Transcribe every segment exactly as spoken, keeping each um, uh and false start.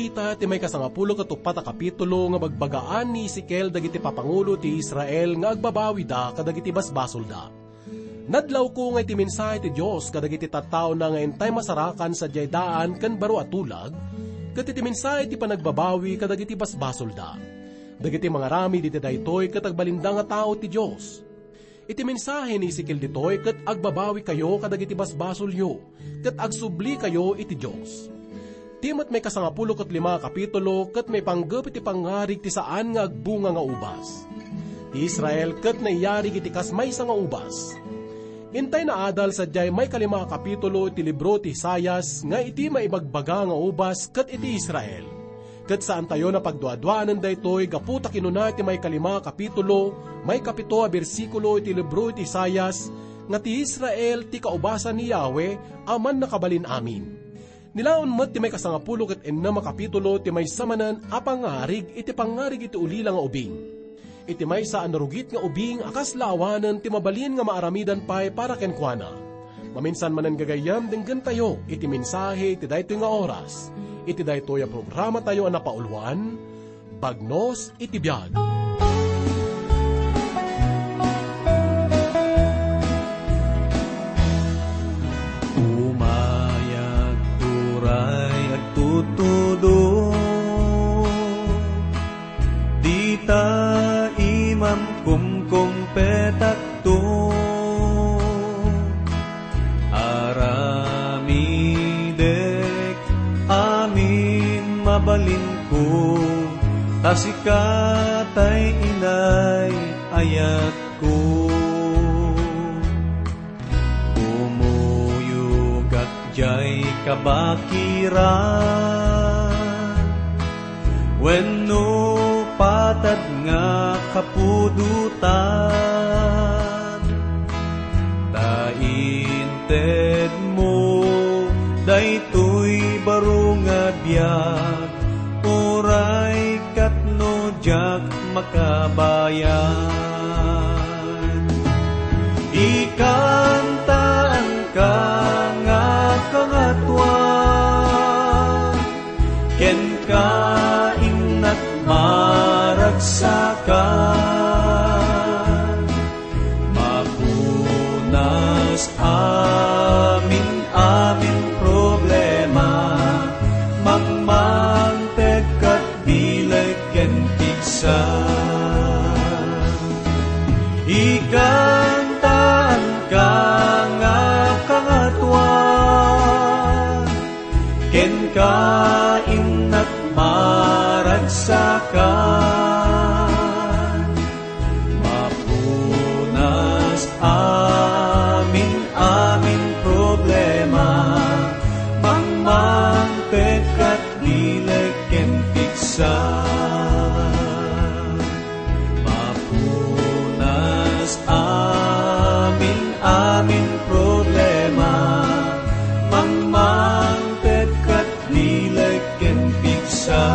Ita ti maikasangapulo ket uppat a kapitulo nga bagbagaan ni Ezekiel dagiti papangulo ti Israel nga agbabawida kadagiti basbasolda. Nadlawko nga iti mensahe ti Dios kadagiti tattaona nga intay masarakan sadiay daan ken baro a tulag, ket iti mensahe ti panagbabawi kadagiti basbasolda. Dagiti mangaramid iti daytoy ket agbalinda nga tao ti Dios. Iti mensahe ni Ezekiel ditoy ket agbabawikayo kadagiti basbasolyo, ket agsublikayo iti Dios. Ti met maikasangapulo ket lima a kapitulo ket maipanggep iti pangngarig ti saan nga agbunga nga ubas. Ti Israel ket naiyarig iti kas maysa nga ubas. Intay naadal sadiay maikalima a kapitulo iti libro ti Isaias nga iti maibagbaga nga ubas ket iti Israel. Ket saantayo a pagduaduaen daytoy gapu ta kinuna ti maikalima a kapitulo, maikapito a bersikulo iti libro iti Isaias, nga ti Israel ti kaubasan ni Yahweh a Mannakabalin-amin. Nilaon met ti maikasangapulo ket ennem a kapitulo ti maysa manen a pangngarig iti pangngarig iti ulila nga ubing. Iti maysa a narugit nga ubing a kasla awanen ti mabalin nga maaramidan pay para kenkuana. Maminsan manen gagayyem, denggentayo iti mensahe iti daytoy nga oras, iti daytoy a programatayo a napauluan, Bagnos iti Biag. Umayag turay agtutudor, dita imam kumkumpetakto. Aramidek amin mabalinko, ta sika tay inay ayatko. Kumuyogak diay kabakiran wenno patad nga kapudotan, ta intedmo daytoy baro nga biag, uray ket no diak makabayag. Ikantaanka nga Kangatoan, kenka innak maragsakan. Mapunas amin-amin problema, mangmangted ket bileg ken pigsa. Ikantaanka nga Kangatoan, kenka innak maragsakan. Mapunas amin-amin problema, mangmangted ket bileg ken pigsa. Mapunas amin-amin problema, mangmangted ket bileg ken pigsa.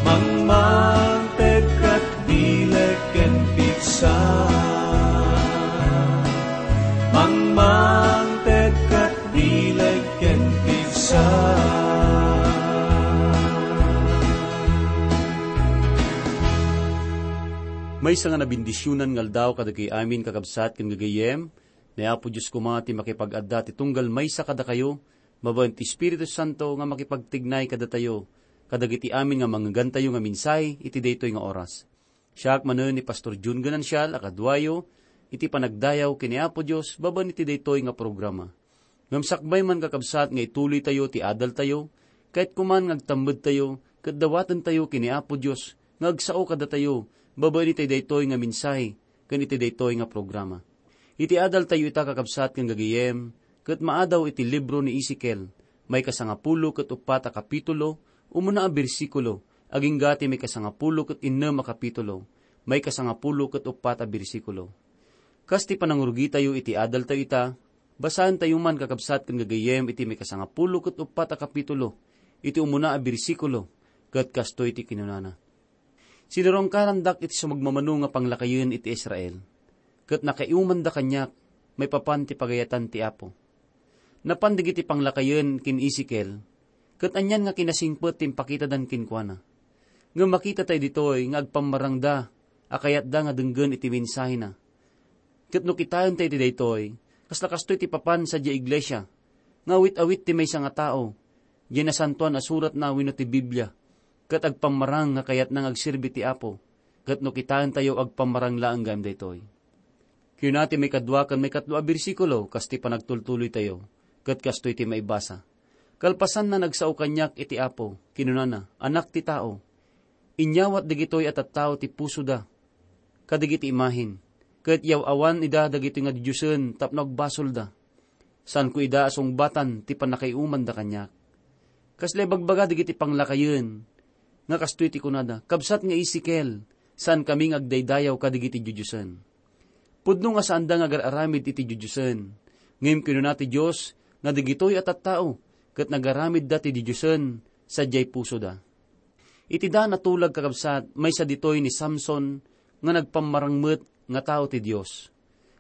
Mangmangted ket bileg ken pigsa. Mangmangted ket bileg ken pigsa. Maysa nga nabendisionan nga aldaw kadagiti amin, kakabsat ken gagayyem. Ni Apo Dios koma ti makipag-adda ti tunggal maysa kadakayo, babaen ti Espiritu Santo nga makipagtignay kadatayo, kadagiti amin nga mangngeggantayo nga mensahe iti daytoy nga oras. Siak manen ni Pastor Jun Ganancial a kaduayo iti panagdayaw ken ni Apo Dios babaen iti daytoy nga programa. Ngem sakbay man, kakabsat, nga ituloytayo ti adaltayo, kayatko man nga agtammedtayo ket dawatentayo ken ni Apo Dios nga agsao kadatayo babaen iti daytoy nga mensahe ken iti daytoy nga programa. Iti adaltayo ita, kakabsat ken gagayyem, ket maadaw iti libro ni Ezekiel, maikasangapulo ket uppat a kapitulo, umuna a bersikulo, agingga ti maikasangapulo ket innem a kapitulo, maikasangapulo ket uppat a bersikulo. Kas ti panangurugitayo iti adaltayo ita, basaentayo man, kakabsat ken gagayyem, iti maikasangapulo ket uppat a kapitulo, iti umuna a bersikulo, ket kastoy ti kinunana: Sinurongkarandak iti sumagmamano nga panglakayen iti Israel, ket nakaiumanda kaniak maipapan ti pagayatan ti Apo. Napan dagiti panglakayen ken Ezekiel, ket anian nga kinasingpet ti impakitadan kenkuana. Ngem makitatayo ditoy nga agpammarangda a kayatda nga denggen iti mensahena. Ket no kitaentayo iti daytoy, kasla kastoy ti papan sadiay iglesia, nga awit-awit ti maysa nga tao, diay Nasantoan a Suratna wenno ti Biblia, ket agpammarang nga kayatna nga agserbi ti Apo, ket no kitaentayo, agpammarang laeng gayam daytoy. Kuna ti maikadua ken maikatlo a bersikulo kas ti panagtultuloytayo, ket kastoy ti maibasa: "Kalpasanna, nagsao kaniak iti Apo, kinunana, 'Anak ti tao, inyawat dagitoy a tattao ti pusoda kadagiti imahen, ket yaw-awan ida dagitoy nga didiosen tapno agbasolda. Saanko ida a sungbatan ti pannakaiumanda kaniak.'" Kasla ibagbaga dagiti panglakayen nga kastoy ti kunada: "Kabsat nga Ezekiel, saankami nga agdaydayaw kadagiti didiosen." Pudno nga saanda nga agar-aramid iti didiosen, ngem kinuna ti Dios nga dagitoy a tattao ket nagaramidda ti didiosen sadiay pusoda. Iti daan a tulag, kakabsat, maysa ditoy ni Samson nga nagpammarang met nga tao ti Dios.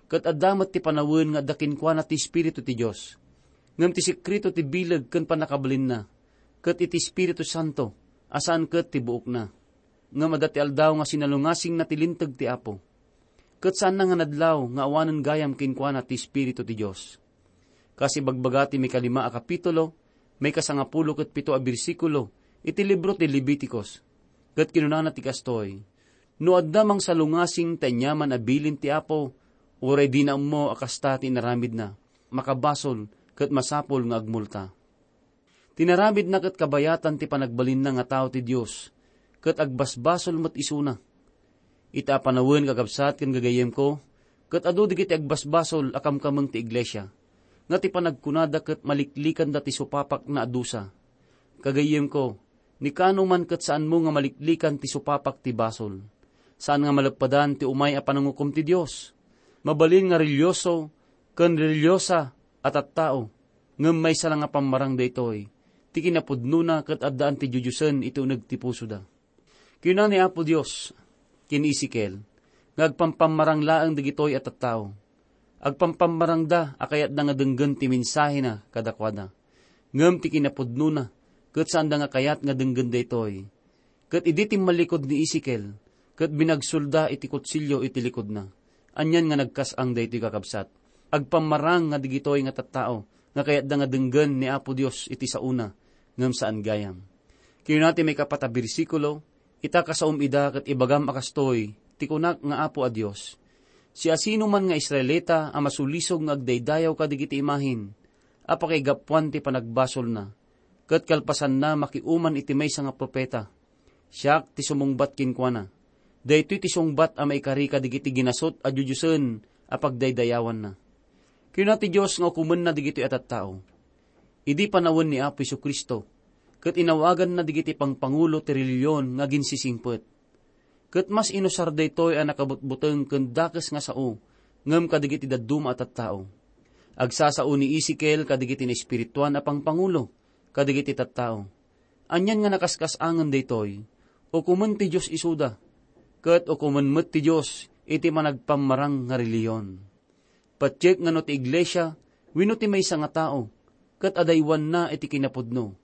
Ket adda met ti panawen nga adda kenkuana ti Espiritu ti Dios. Ngem ti sekreto ti bileg ken pannakabalinna ket iti Espiritu Santo a saan ket ti buokna. Ngem adda ti aldaw nga sinalungasingna ti Linteg ti Apo. Ket saanna nga nadlaw nga awanen gayam kenkuana ti Espiritu ti Dios. Kas ibagbaga ti maikalima a kapitulo, maikasangapulo ket pito a bersikulo iti libro ti Leviticos. Ket kinunana ti kastoy: "No adda mangsalungasing ta aniaman a bilin ti Apo, uray dina ammo a kasta ti inaramidna, makabasol ket masapul nga agmulta." Ti inaramidna ket kabayatan ti panagbalinna nga tao ti Dios, ket agbasbasol met isuna. Ita a panawen, kakabsat ken gagayyemko, ket adu dagiti agbasbasol a kamkameng ti iglesia, nga ti panagkunada ket maliklikanda ti supapakna a dusa. Gagayyemko, ni kano man ket saanmo nga maliklikan ti supapak ti basol. Saan nga maleppadan ti umay a panangukom ti Dios. Mabalin nga relihioso ken relihiosa a tattao, ngem maysa la nga pammarang daytoy, ti kinapudnona ket addaan ti didiosen iti uneg ti pusoda. Kuna ni Apo Dios ken Ezekiel nga agpampammarang laeng dagitoy a tattao. Agpampammarangda a kayatda nga denggen ti mensahena kadakuada. Ngem ti kinapudnona, ket saanda nga kayat nga denggen daytoy. Ket idi timmallikud ni Ezekiel, ket binagsolda iti kutsilio iti likudna. Anian nga nagkas-ang daytoy, kakabsat? Agpammarang nga dagitoy nga tattao nga kayatda nga denggen ni Apo Dios iti saona, ngem saan gayam. Kinuna ti maikapat a bersikulo: "Ita, kasaom ida ket ibagam a kastoy ti kunak nga Apo a Dios: Siasinoman nga Israelita a masulisog nga agdaydayaw kadagiti imahen a pakaigapuan ti panagbasolna, ket kalpasanna, makiuman iti maysa nga profeta, siak ti sumungbat kenkuana. Daytoy ti sungbat a maikari kadagiti ginasut a didiosen a pagdaydayawanna." Kuna ti Dios nga ukomenna dagitoy a tattao. Idi panawen ni Apo Jesu-Cristo, ket inawaganna dagiti pangpangulo ti relihion nga aginsisingpet. Ket mas inusar daytoy a nakabutbuteng ken dakes nga sao ngem kadagiti dadduma a tattao. Agsasao ni Ezekiel kadagiti naespirituan a pangpangulo kadagiti tattao. Anian nga nakaskas-angen daytoy, ukomen ti Dios isuda, ket ukomen met ti Dios iti managpammarang nga relihion. Patiek nga no ti iglesia wenno ti maysa nga tao ket adaywanna iti kinapudno,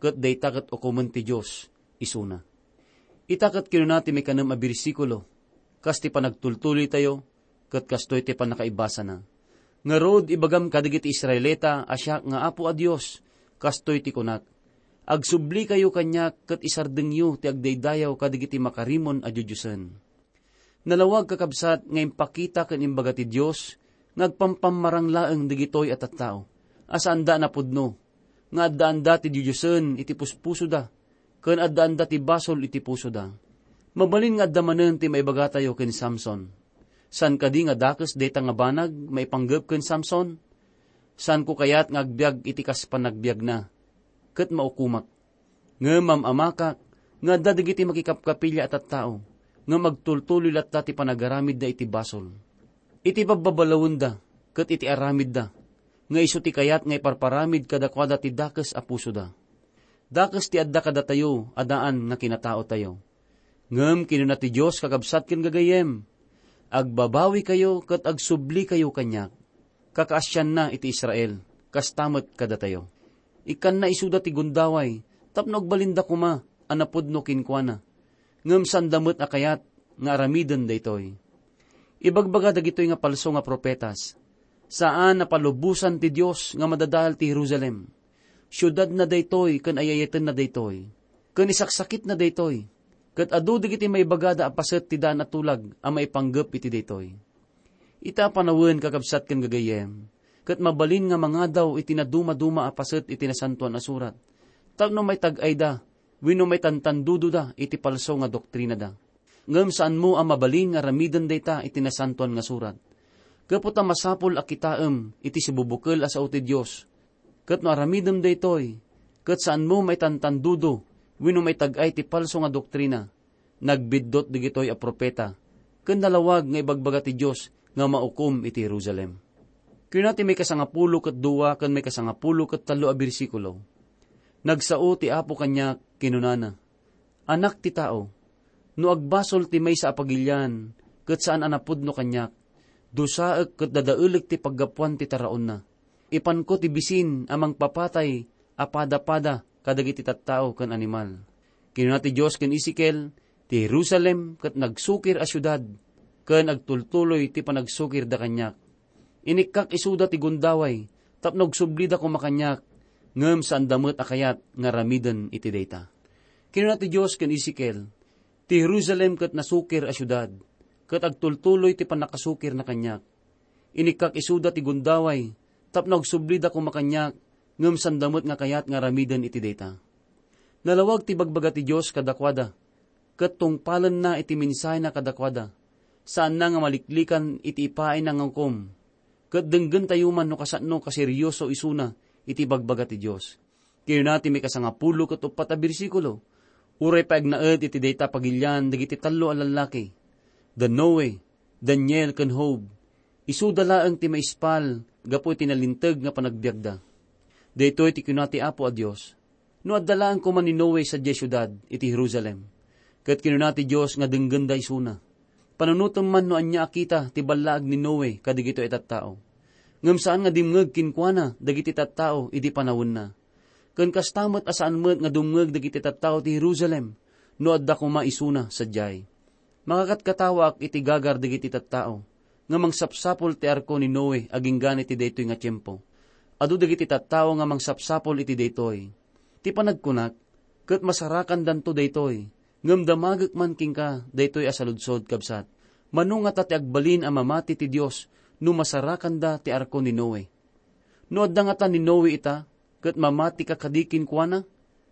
ket dayta ket ukomen ti Dios isuna. Ita ket kinuna ti maikanem a bersikulo, kas ti panagtultuloytayo, ket kastoy ti pannakaibasana: "Ngarud, ibagam kadagiti Israelita a siak nga Apo a Dios, kastoy ti kunak: Agsublikayo kaniak ket isardengyo ti agdaydayaw kadagiti makarimon a didiosen." Nalawag, kakabsat, nga impakita ken imbaga ti Dios nga agpampammarang laeng dagitoy a tattao a saanda a napudno, nga addaanda ti didiosen iti puspusoda, ken addaanda ti basol iti pusoda. Mabalin nga adda manen ti maibagatayo ken Samson. Saan kadi nga dakes dayta nga banag maipanggep ken Samson? Saanko kayat nga agbiag iti kas panagbiagna, ket maukomak. Ngem mam-amakak nga adda dagiti makikapkapilya a tattao, ngem agtultuloy latta ti panagaramidda iti basol. Iti babbabalawenda ket iti aramidda, nga isu ti kayat nga iparparamid kadakuada ti dakes a pusoda. Dakes ti adda kadatayo a daan nga kinataotayo. Ngem kinuna ti Dios, kakabsat ken gagayyem, "Agbabawikayo ket agsublikayo kaniak." Kakaasianna iti Israel, kasta met kadatayo. Ikkanna isuda ti gundaway tapno agbalinda koma a napudno kenkuana. Ngem saanda met a kayat nga aramiden daytoy. Ibagbaga dagitoy nga palso nga profetas, saan a palubosan ti Dios nga madadael ti Jerusalem. Siudadna daytoy ken ay-ayatenna daytoy, ken isaksakitna daytoy, ket adu dagiti maibagada a paset ti daan a tulag a maipanggep iti daytoy. Ita a panawen, kakabsat ken gagayyem, ket mabalin nga mangadaw iti nadumaduma a paset iti Nasantoan a Surat tapno maitag-ayda wenno maitantandudoda iti palso nga doktrinada. Ngem saanmo a mabalin nga aramiden dayta iti Nasantoan nga Surat. Gapu ta masapul a kitaem iti sibubukel a sao ti Dios, ket no aramidem daytoy, ket saanmo maitantandudo wenno maitag-ay ti palso nga doktrina. Nagbiddut dagitoy a profeta, ken nalawag nga ibagbaga ti Dios nga maukom iti Jerusalem. Kuna ti maikasangapulo ket dua ken maikasangapulo ket tallo a bersikulo, "Nagsao ti Apo kaniak, kinunana, 'Anak ti tao, no agbasol ti maysa a pagilian ket saan a napudno kaniak, dusaek ket dadaelek ti paggapuan ti taraonna. Ipanko ti bisin a mangpapatay a padapada kadagiti tattao ken animal.'" Kinuna ti Dios ken Ezekiel, "Ti Jerusalem ket nagsukir a siudad, ken agtultuloy ti panagsukirda kaniak. Inikkak isuda ti gundaway tapno agsublida koma kaniak, ngem saanda met a kayat nga aramiden iti dayta." Kinuna ti Dios ken Ezekiel, "Ti Jerusalem ket nasukir a siudad, ket agtultuloy ti pannakasukirna kaniak. Inikkak isuda ti gundaway tapno agsublida koma kaniak, ngem saanda met nga kayat nga aramiden iti dayta." Nalawag ti bagbaga ti Dios kadakuada, ket tungpalenna iti mensahena kadakuada. Saanna nga maliklikan iti ipaayna nga ukom, ket denggentayo man no kasano kaserioso isuna iti bagbaga ti Dios. Kinuna ti maikasangapulo ket uppat a bersikulo, "Uray pay agnaed iti dayta a pagilian dagiti tallo a lallaki, da Noe, Daniel, ken Job, isuda laeng ti maispal gapu iti nalinteg nga panagbiagda." Daytoy ti kinuna ti Apo a Dios, "No adda laeng koma ni Noe sadiay siudad iti Jerusalem, ket kinuna ti Dios nga denggenda isuna, panunotem man no ania a kita ti ballaag ni Noe kadagitoy a tattao. Ngem saan nga dimngeg kenkuana dagiti tattao idi panawenna. Ken kasta met a saan met nga dumngeg dagiti tattao ti Jerusalem no adda koma isuna sadiay. Makakatkatawaak iti gagar dagiti tattao nga mangsapsapul ti arko ni Noe agingga iti daytoy nga tiempo. Adu dagiti tattao nga mangsapsapul iti daytoy. Ti panagkunak, ket masarakandanto daytoy, ngem damagek man kenka daytoy a saludsod, kabsat. Mano ngata ti agbalin a mamati ti Dios no masarakanda ti arko ni Noe? No adda ngata ni Noe ita, ket mamatika kadi kenkuana,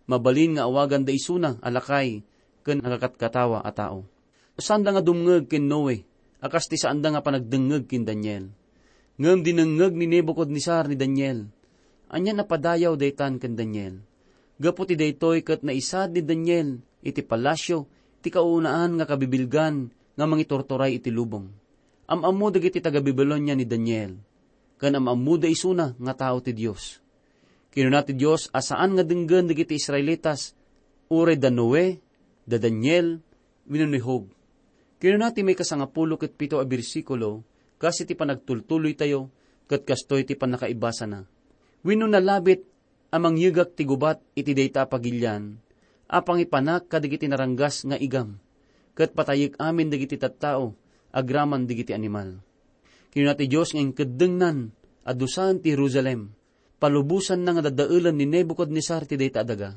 mabalin nga awaganda isuna a lakay ken nagakatkatawa a tao." Saanda nga dumngeg ken Noe a kas ti saanda nga panagdengngeg ken Daniel. Ngem dinengngeg ni Nebuchadnezzar ni Daniel. Ania a padayaw daytan ken Daniel? Gapu ti daytoy ket naisaad ni Daniel iti palasio ti kaunaan nga kabibilgan nga mangiturturay iti lubong. Am-ammo dagiti taga-Babilonia ni Daniel, ken am-ammoda isuna nga tao ti Dios. Kinuna ti Dios a saan nga denggen dagiti Israelitas, uray da Noe, da Daniel, wenno ni Job. Kinuna ti maikasangapulo ket pito a bersikulo, kas iti panagtultuloytayo, ket kastoy ti pannakaibasana, "Wenno nalabit a mangyegak ti gubat iti dayta a pagilian a pangipanak kadagiti naranggas nga igam, ket patayek amin dagiti tattao agraman dagiti animal." Kinuna ti Dios nga inkeddengnan a dusaen ti Jerusalem, palubosanna nga dadaelen ni Nebuchadnezzar ti dayta a daga.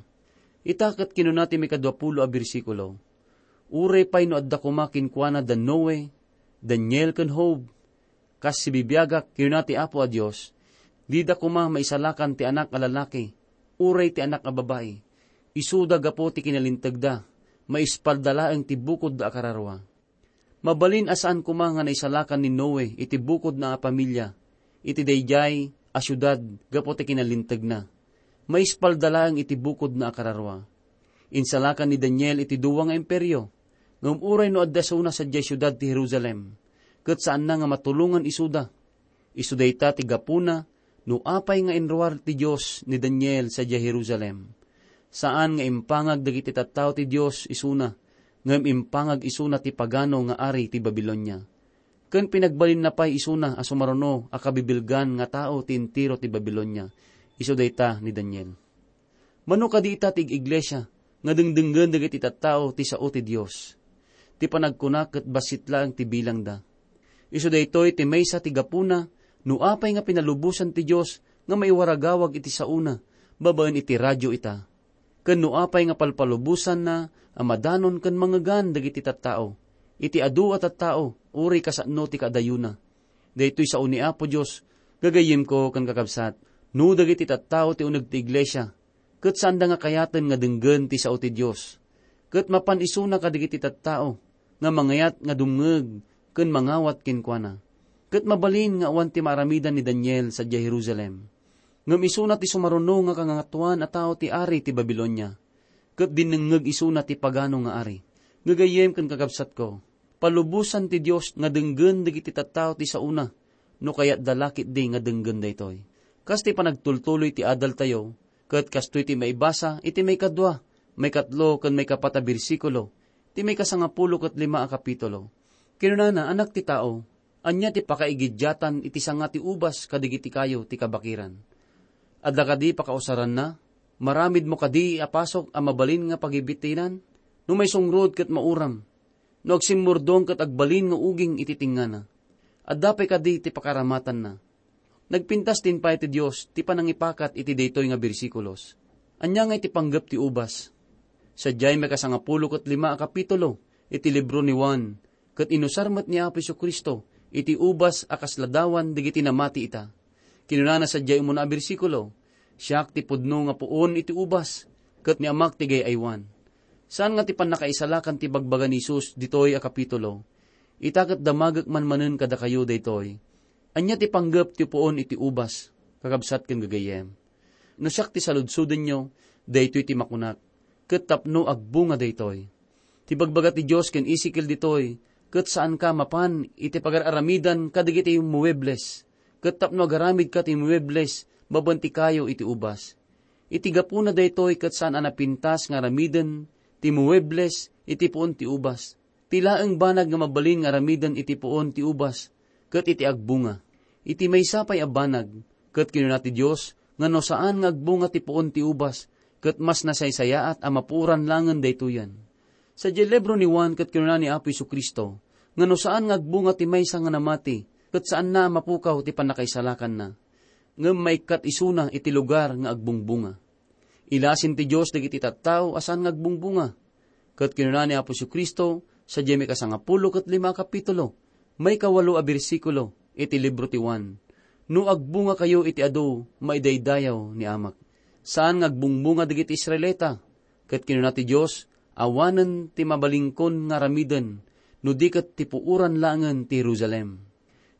Ita ket kinuna ti maikaduapulo a bersikulo, "Uray pay no adda koma kenkuana da Noe, Daniel, ken Job, kas sibibiagak," kinuna ti Apo a Dios, "dida koma maisalakan ti anak a lalaki, uray ti anak a babai. Isuda gapu ti kinalintegda, maispalda laeng ti bukodda a kararua." Mabalin a saan koma nga naisalakan ni Noe iti bukodna a pamilia iti daydiay a siudad gapu ti kinalintegna. Maispalda laeng iti bukodna a kararua. Insalakan ni Daniel iti dua nga imperio, ngem uray no adda isuna sadiay siudad ti Jerusalem, ket saanna nga matulongan isuda. Isu dayta ti gapuna no apay nga inruar ti Dios ni Daniel sadiay Jerusalem. Saan nga impangag dagiti tattao ti Dios isuna, ngem impangag isuna ti pagano nga ari ti Babilonia. Ken pinagbalinna pay isuna a sumaruno a kabibilgan nga tao ti entero ti Babilonia, isu dayta ni Daniel. Mano kadi ita ti ig-iglesia nga dengdenggen dagiti tattao ti sao ti Dios? Ti panagkuna ket bassit laeng ti bilangda. Isu daytoy ti maysa ti gapuna no apay nga pinalubosan ti Dios nga maiwaragawag iti saona babaen iti radio ita, ken no apay nga palpalubosanna a madanon ken mangngegan dagiti tattao, iti adu a tattao, uray kasano ti kaadayona. Daytoy sao ni Apo Dios, gagayyemko ken kakabsat, no dagiti tattao ti uneg ti iglesia, ket saanda nga kayaten nga denggen ti sao ti Dios, ket mapan isuna kadagiti tattao nga mangayat nga dumngeg ken mangawat kenkuana. Ket mabalin nga awan ti maaramidan ni Daniel sadiay Jerusalem. Ngem isuna ti sumaruno nga kangangatoan a tao ti ari ti Babilonia, ket dinnengngeg isuna ti pagano nga ari. Gagayyem ken kakabsatko, palubosan ti Dios nga denggen dagiti tattao ti saona, no kayatda la ketdi nga denggen daytoy. Kas ti panagtultuloy ti adaltayo, ket kastoy ti maibasa iti maikadua, maikatlo, ken maikapat a bersikulo ti maikasangapulo ket lima a kapitulo. Kinunana, "Anak ti tao, ania ti pakaigidiatan iti sanga ti ubas kadagiti kayo ti kabakiran? Adda kadi pakausaranna? Maramidmo kadi a pasok a mabalin nga pagibitinan? No maisungrod ket mauram, no agsimmurdong ket agbalin nga uging iti tingngana, adda pay kadi ti pakaramatanna?" Nagpintas ti impay ti Dios ti panangipakat iti daytoy nga bersikulos. Ania nga iti panggep ti ubas? Sadiay maikasangapulo ket lima a kapitulo iti libro ni Juan, ket inusar met ni Apo Jesu-Cristo iti ubas a kas ladawan dagiti namati ita. Kinunana sadiay umuna a bersikulo, "Siak ti pudno nga puon iti ubas, ket ni Amak ti gay-aywan." Saan nga ti pannakaisalakan ti bagbaga ni Jesus ditoy a kapitulo. Ita ket damagek manmanen kadakayo daytoy. Ania ti panggep ti puon iti ubas, kakabsat ken gagayyem? No siak ti saludsodenyo, daytoy ti makunak, ket tapno agbunga daytoy. Ti bagbaga ti Dios ken Ezekiel ditoy, ket saanka mapan iti pagar-aramidan kadagiti muebles, ket tapno agaramidka ti muebles babaen ti kayo iti ubas. Iti gapuna daytoy ket saan a napintas nga aramiden ti muebles iti puon ti ubas. Ti laeng banag nga mabalin nga aramiden iti puon ti ubas ket iti agbunga. Iti maysa pay a banag, ket kinuna ti Dios nga no saan nga agbunga ti puon ti ubas, ket mas nasaysayaat a mapuoran langen daytoyen. Sadiay libro ni Juan ket kinuna ni Apo Jesu-Cristo nga no saan nga agbunga ti maysa nga namati, ket saanna a mapukaw ti pannakaisalakanna, ngem maikkat isuna iti lugar nga agbungbunga. Ilasin ti Dios dagiti tattao a saan nga agbungbunga. Ket kinuna ni Apo Jesu-Cristo sadiay maikasangapulo ket lima a kapitulo, maikawalo a bersikulo iti libro ti Juan, "No agbungakayo iti adu, maidaydayaw ni Amak." Saan nga agbungbunga dagiti Israelita, ket kinuna ti Dios, "Awanen ti mabalingkon nga aramiden, no di ket ti puoran laengen ti Jerusalem."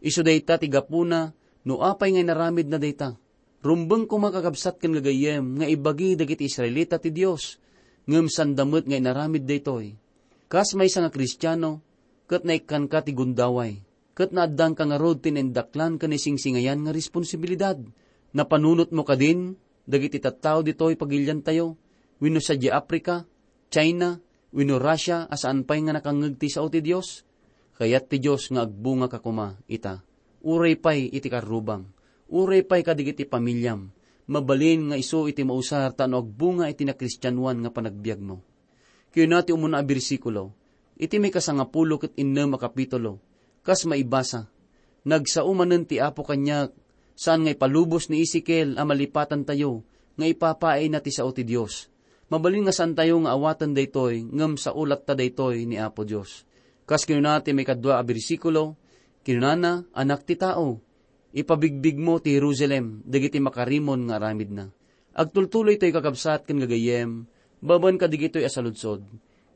Isu dayta ti gapuna no apay nga inaramidna dayta. Rumbeng koma, kakabsat ken gagayyem, nga ibagi dagiti Israelita ti Dios, ngem sanda met nga inaramid daytoy. Kas maysa nga Kristiano, ket naikkanka ti gundaway, ket naaddanka ngarud ti naindaklan ken naisingsingayan nga responsibilidad. Napanunotmo kadin dagiti tattao ditoy pagiliantayo, wenno sadiay Africa, China, wenno Russia a saan pay nga nakangngeg ti sao ti Dios? Kayat ti Dios nga agbungaka koma ita, uray pay iti karrubam, uray pay kadagiti pamiliam. Mabalin nga isu iti mausar tapno agbunga iti nakristianoan nga panagbiagmo. Kinuna ti umuna a bersikulo, iti maikasangapulo ket innem a kapitulo, kas maibasa, "Nagsao manen ti Apo kaniak, saan nga ipalubos ni Ezekiel a malipatantayo nga ipapaayna ti sao ti Dios." Mabalin nga saantayo nga awaten daytoy, ngem sao latta daytoy ni Apo Dios. Kas kinuna ti maikadua a bersikulo, kinunana, "Anak ti tao, ipabigbigmo ti Jerusalem dagiti makarimon nga aramidna." Agtultuloy toy, kakabsat ken gagayyem, babaen kadagitoy a saludsod.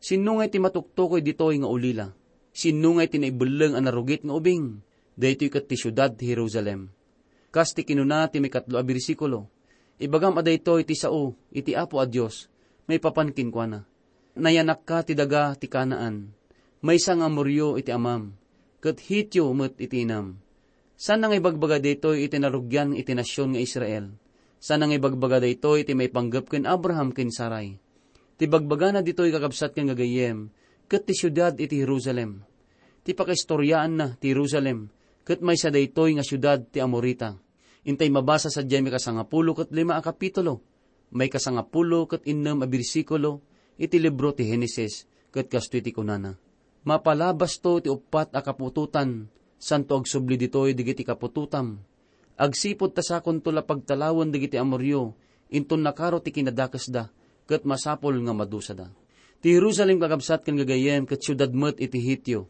Sinno ngay ti matuktukoy ditoy nga ulila? Sinno ngay ti naibelleng a narugit nga ubing? Daytoy ket ti siudad ti Jerusalem. Kas ti kinuna ti maikatlo a bersikulo, "Ibagam a daytoy ti sao iti Apo a Dios maipapan kenkuana. Nayanakka ti daga ti Canaan, maysa nga Amorio iti amam, ket Hitio met iti inam." Saan nga ibagbaga daytoy iti narugian iti nasion nga Israel. Saan nga ibagbaga daytoy iti maipanggep ken Abraham ken Sarai. Ti bagbagana ditoy, kakabsat ken gagayyem, ket ti siudad iti Jerusalem. Ti pakaistoriaanna ti Jerusalem, ket maysa daytoy nga siudad ti Amorita. Intay mabasa sadiay mikasangapulo ket lima a kapitulo. maikasangapulo ket innem a bersikulo iti libro ti Genesis, ket kastoy ti kunana, "Mapalabasto ti uppat a kaputotan, santo agsubli ditoy dagiti kaputotam. Agsipud ta sakonto la pagtalawen dagiti Amorio, inton nakaro ti kinadakesda, ket masapul nga madusada." Ti Jerusalem, kakabsat ken gagayyem, ket siudad met iti Hetio.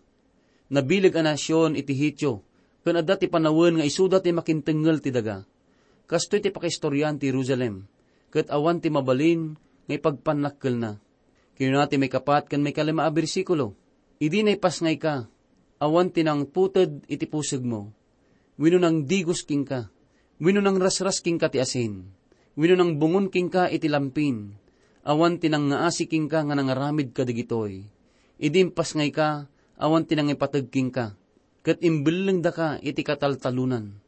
Nabileg a nasion iti Hetio, ken adda ti panawen nga isuda ti makintengngel ti daga. Kastoy ti pakaistoriaan ti Jerusalem, ket awan ti mabalin nga ipagpannakkelna. Kinuna ti maikapat ken maikalima a bersikulo, "Idi naipasngayka, awan ti nangputed iti pusegmo. Wenno nangdigos kenka, wenno nangrasras kenka ti asin, wenno nangbungon kenka iti lampin. Awan ti nangngaasi kenka nga nangaramid kadagitoy. Idi impasngayka, awan ti nangipateg kenka, ket imbellengdaka iti kataltalonan.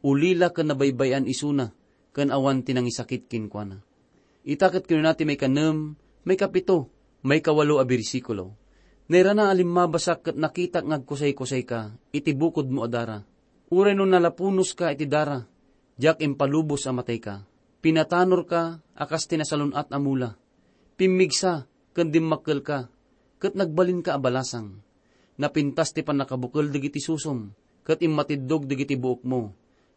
Ulila ken nabaybay-an isuna, ken awan ti nangisakit kenkuana." Ita ket kinuna ti maikanem, maikapito, maikawalo a bersikulo, "Nairana a limmabasak ket nakitak nga agkusaykusayka iti bukodmo a dara. Uray no nalapunoska iti dara, diak impalubos a matayka. Pinatanorka a kas ti nasalun-at a mula. Pimmigsa ken dimmakkelka, ket nagbalinka a balasang. Napintas ti pannakabukel dagiti susom, ket immatiddog dagiti buokmo,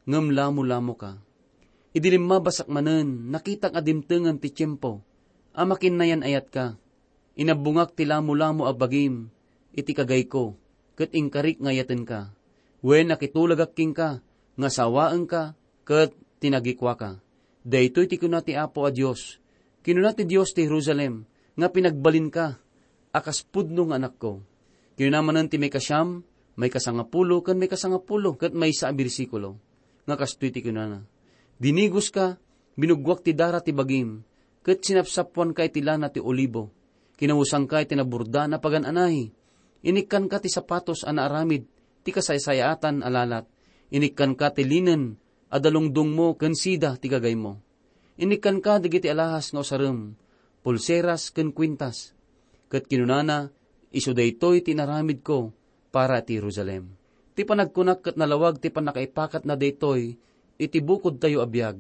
ngem lamolamoka. Idi limmabasak manen, nakitak a dimtengen ti tiempo a makinnayan-ayatka. Inabbongak ti lamolamo a bagim iti kagayko, ket inkarik nga ayatenka. Wen, nakitulagak kenka nga sawaenka ket tinagikuaka. Daytoy ti kuna ti Apo a Dios. Kinuna ti Dios ti Jerusalem nga pinagbalinka a kas pudno nga anakko." Kinuna manen ti maikasiam, maikasangapulo, ken maikasangapulo ket maysa a bersikulo nga kastoy ti kunana, "Dinigoska, binuggoak ti dara ti bagim, ket sinapsapoanka iti lana ti olibo. Kinawesangka iti naburdaan a pagan-anay. Inikkanka ti sapatos a naaramid ti kasaysayaatan a lalat. Inikkanka ti linen a dalungdongmo ken sida ti gagaymo. Inikkanka dagiti alahas nga usarem, pulseras ken kuintas." Ket kinunana, "Isu daytoy ti inaramidko para ti Jerusalem." Ti panagkunak ket nalawag ti pannakaipakatna daytoy iti bukodtayo a biag.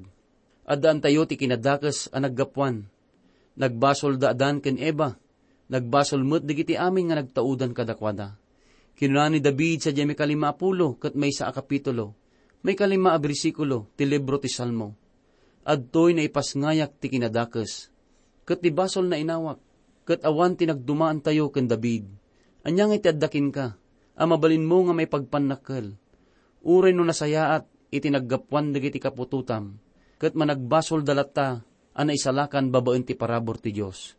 Addaantayo ti kinadakes a naggapuan. Nagbasol da Adan ken Eva. Nagbasol met dagiti amin nga nagtaudan kadakuada. Kinuna ni David sadiay maikalima a pulo ket maysa a kapitulo, maikalima a bersikulo ti libro ti Salmo, "Adtoy naipasngayak ti kinadakes, ket ti basolna inawak, ket awan ti nagdumaantayo ken David. Ania ngay ti adda kenka a mabalinmo nga maipagpannakkel? Uray no nasayaat iti naggapuan dagiti kaputotam, ket managbasolda latta a naisalakan babaen ti parabur ti Dios.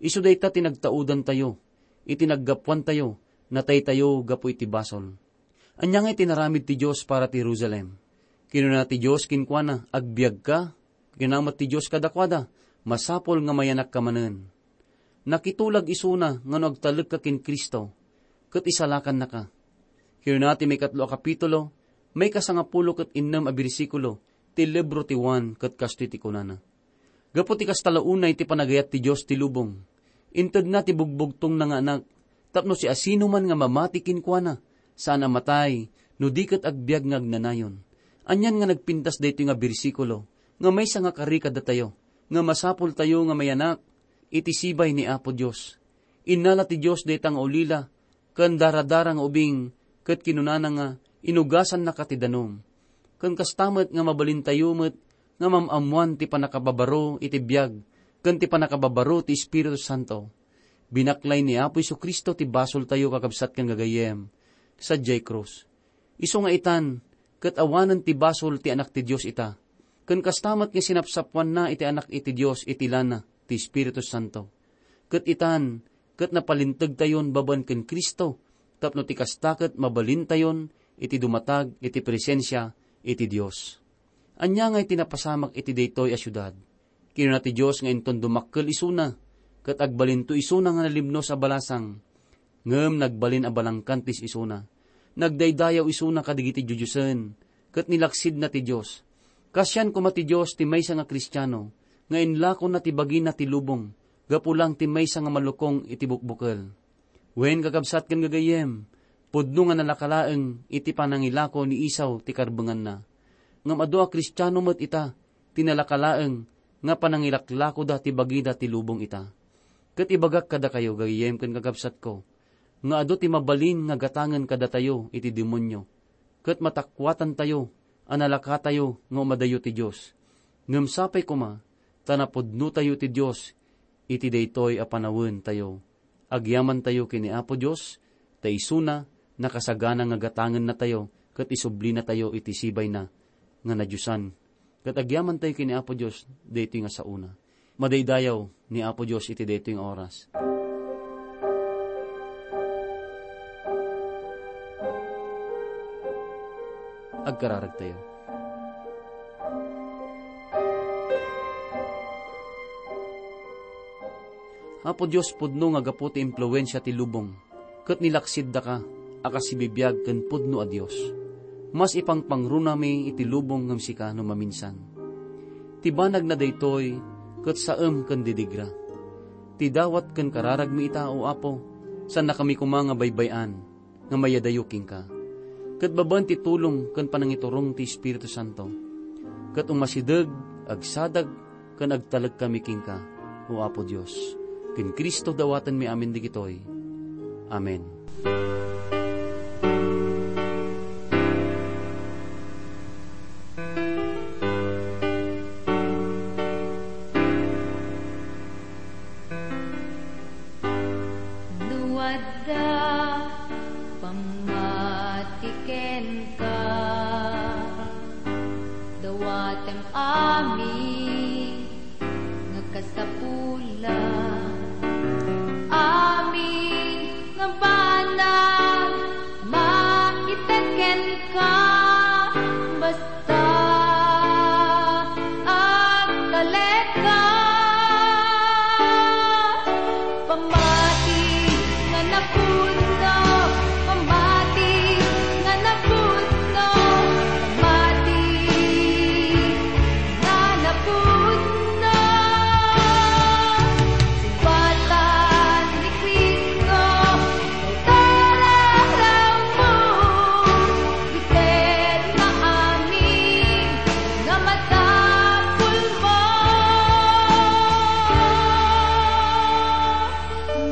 Isu dayta ti nagtaudantayo, iti naggapuantayo, nataytayo gapu iti basol." Ania ngay ti inaramid ti Dios para ti Jerusalem? Kinuna ti Dios kenkuana, "Agbiagka." Kinuna met ti Dios kadakuada, "Masapul nga mayanakka manen." Nakitulag isuna nga no agtalekka ken Cristo, ket isalakannaka. Kinuna ti maikatlo a kapitulo, maikasangapulo ket innem a bersikulo ti libro ti Juan ket kastoy ti kunana, "Gapu ti kasta la unay ti panagayat ti Dios ti lubong. Intedna ti bugbugtongna nga Anak, tapno siasinoman nga mamati kenkuana, saan a matay, no di ket agbiag nga agnanayon." Anian nga nagpintas daytoy nga bersikulo nga maysa nga kari kadatayo, nga masapultayo nga mayanak iti sibay ni Apo Dios. Innala ti Dios dayta nga ulila ken daradara nga ubing, ket kinunana nga, "Inugasannaka ti danum." Ken kasta met nga mabalintayo met nga mam-ammoan ti pannakababaro iti biag ken ti pannakababaro ti Espiritu Santo. Binaklay ni Apo Jesu-Cristo ti basoltayo, kakabsat ken gagayyem, sadiay krus. Isu nga itan, ket awanen ti basol ti Anak ti Dios ita. Ken kasta met nga sinapsapoanna iti Anak iti Dios iti lana ti Espiritu Santo. Ket itan, ket napalintegtayon babaen ken Cristo, tapno ti kasta ket mabalintayon iti dumatag iti presensia iti Dios. Ania ngay ti napasamak iti daytoy a siudad? Kinuna ti Dios nga inton dumakkel isuna, ket agbalinto isuna nga nalimnos a balasang. Ngem nagbalin a balangkantis isuna. Nagdaydayaw isuna kadagiti diodiosen, ket nilaksidna ti Dios. Kasian koma ti Dios ti maysa nga Kristiano nga inlakonna ti bagina ti lubong gapu lang ti maysa nga malukong iti bukbukel. Wen, kakabsat ken gagayyem, pudno nga nalaka laeng iti panangilako ni Esau ti karbenganna. Ngem adu a Kristiano met ita ti nalaka laeng nga panangilaklakoda ti bagida ti lubong ita. Ket ibagak kadakayo, gayyem ken kakabsatko, nga adu ti mabalin nga gatangen kadatayo iti demonio, ket matakuatantayo a nalakatayo nga umadayo ti Dios. Ngem sapay koma ta napudnotayo ti Dios iti daytoy a panawentayo. Agyamantayo ken ni Apo Dios, ta isuna nakasagana nga gatangennatayo ket isublinatayo iti sibayna nga nadiosan. Ket agyamantayo ken ni Apo Dios daytoy nga saona. Madaydayaw ni Apo Dios iti daytoy nga oras. Agkararagtayo. Apo Dios, pudno nga gapu ti impluensia ti lubong, ket nilaksiddaka a kas sibibiag ken pudno a Dios. Mas ipangpangrunami iti lubong ngem sika no maminsan. Ti banagna daytoy ket saem ken didigra. Ti dawat ken kararagmi ita, O Apo, saannakami koma nga baybay-an nga mayadayo kenka. Ket babaen ti tulong ken panangiturong ti Espiritu Santo, ket umasideg, agsadag, ken agtalekkami kenka, O Apo Dios. Ken Cristo dawatenmi amin dagitoy. Amen. No adda pammati kenka, dawatem amin nga kasapulan, amin nga banag maited kenka, basta agtalekka. Pammati nga napudno, pammati nga napudno, pammati nga napudno. Sumbatan ni Cristo, ita rarammo, itedna amin nga masapulmo.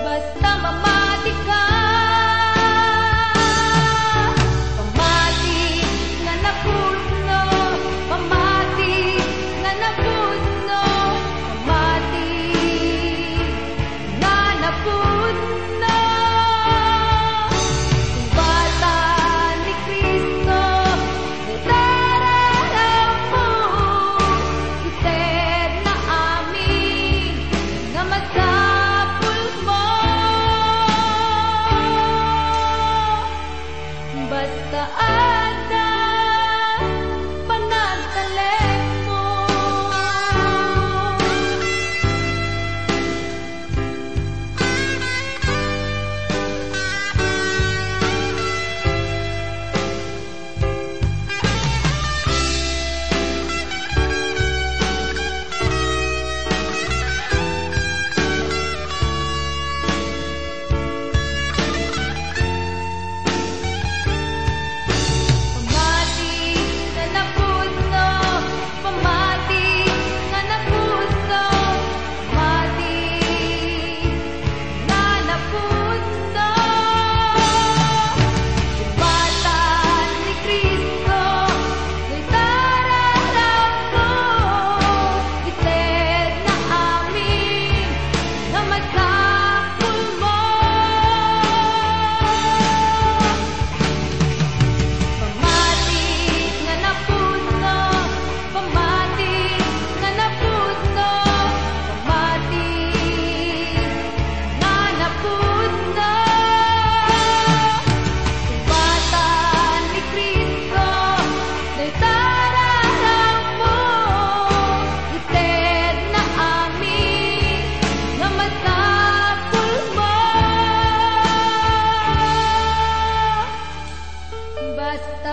Basta mamatika, pamati nga napudno, pamati nga napudno, pamati nga napudno. Sumbatan ni Cristo, itararammo, itedna amin nga masapulmo. Basta adda panagtalekmo. Pamati nga napudno, pamati nga napudno, pamati nga napudno. Sumbatan ni Cristo, itararammo, itedna amin nga masapulmo. Pamati nga napudno, pamati nga napudno, pamati nga napudno. Sumbatan ni Cristo, dayta rarammo, itedna amin nga masapulmo. Basta